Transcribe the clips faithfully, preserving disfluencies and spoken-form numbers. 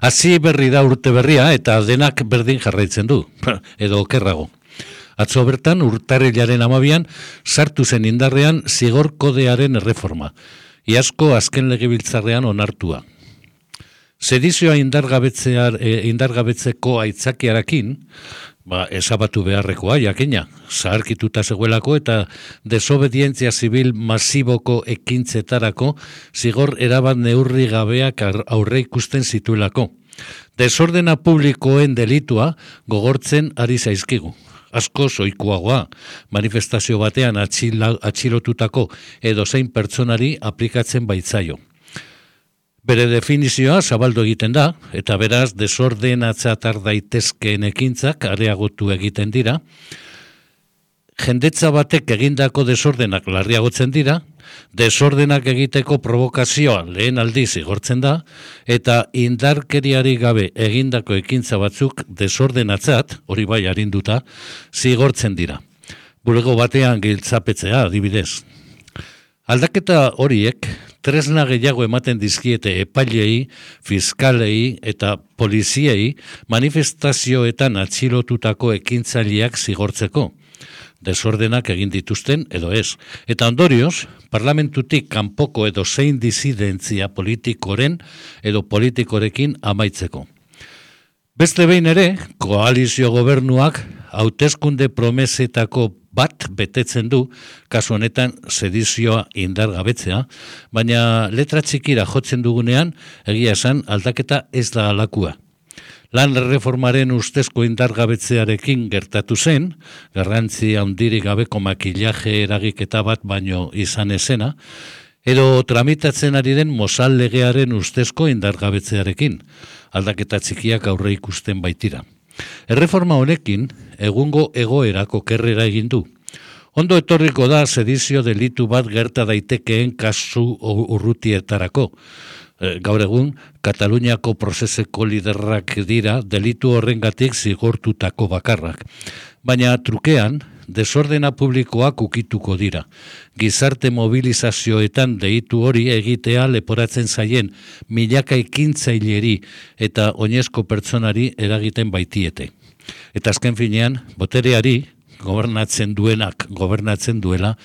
Hasi berri da urte berria eta denak berdin jarraitzen du, edo okerrago. Atzo bertan urtarrilaren amabian sartu zen indarrean zigor kodearen erreforma, iazko azken legebiltzarrean onartua. Sedizioa indargabetzear, e, indargabetzeko aitzakiarekin, ba, esabatu beharrekoa, jakina, zaharkituta zegoelako eta desobedientzia zibil masiboko ekintzetarako zigor erabat neurri gabeak aurre ikusten zituelako. Desordena publikoen delitua gogortzen ari zaizkigu. Asko zoikoagoa, manifestazio batean atxila, atxilotutako edo zein pertsonari aplikatzen baitzaio. Bere definizioa zabaldu egiten da, eta beraz desordenatzatar daitezkeen ekintzak areagotu egiten dira. Jendetza batek egindako desordenak larriagotzen dira, desordenak egiteko provokazioa lehen aldiz igortzen da, eta indarkeriari gabe egindako ekintza batzuk desordenatzat, hori bai arinduta, zigortzen dira. Bulego batean giltzapetzea adibidez. Aldaketa horiek tresna gehiago ematen dizkiete epailei, fiskalei eta poliziei manifestazioetan atxilotutako ekintzaileak zigortzeko. Desordenak egin dituzten edo ez. Eta ondorioz, parlamentutik kanpoko edo zein disidentzia politikoren edo politikorekin amaitzeko. Beste behin ere, koalizio gobernuak hauteskunde promesetako bat betetzen du, kasu honetan sedizioa indargabetzea, baina letra txikira jotzen dugunean, egia esan aldaketa ez da alakua. Lan reformaren ustezko indargabetzearekin gertatu zen, garrantzi handirik gabeko makillaje eragiketa bat baino izan ezena, edo tramitatzen ari den Mozal legearen ustezko indargabetzearekin, aldaketa txikiak aurre ikusten baitira. Erreforma honekin, egungo egoerako kerrera egin du. Ondo etorriko da sedizio delitu bat gerta daitekeen kasu urrutietarako. Gaur egun, Kataluniako prozeseko liderrak dira delitu horrengatik zigortutako bakarrak. Baina trukean, desordena publikoak ukituko dira. Gizarte mobilizazioetan deitu hori egitea leporatzen zaien milaka ekintzaileri eta oinezko pertsonari eragiten baitiete. Eta azken finean, botereari, gobernatzen duenak, gobernatzen duela,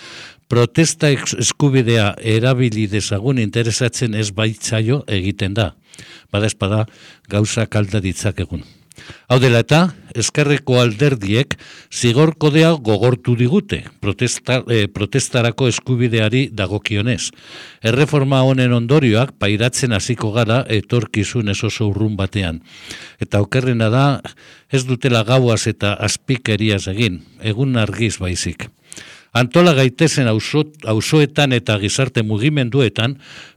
protesta eskubidea erabili dezagun interesatzen ez baitzaio egiten da. Badaezpada gauzak alda ditzakegun. Hau dela eta, ezkerreko alderdiek zigor kodea gogortu digute, protesta, eh, protestarako eskubideari dagokionez. Erreforma honen ondorioak pairatzen hasiko gara etorkizun ez oso urrun batean. Eta okerrena da, ez dutela gauaz eta azpikeriaz egin, egun argiz baizik. Antola gaitezen auzoetan eta gizarte mugimenduetan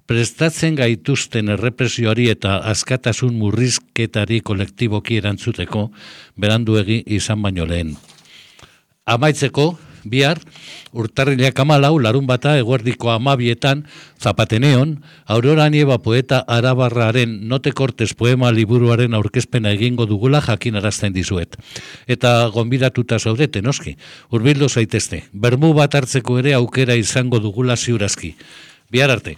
prestatzen gaituzten errepresioari eta askatasun murrizketari kolektiboki erantzuteko beranduegi izan baino lehen. Amaitzeko, bihar, urtarrilak hamalau, larun bata eguerdiko amabietan, Zapateneon, Aurora Nieva poeta arabarraren Note Cortes poema liburuaren aurkezpena egingo dugula jakinarazten dizuet. Eta gonbidatuta zaudete, noski, hurbildu zaitezte. Bermu bat hartzeko ere aukera izango dugula ziurazki. Bihar arte.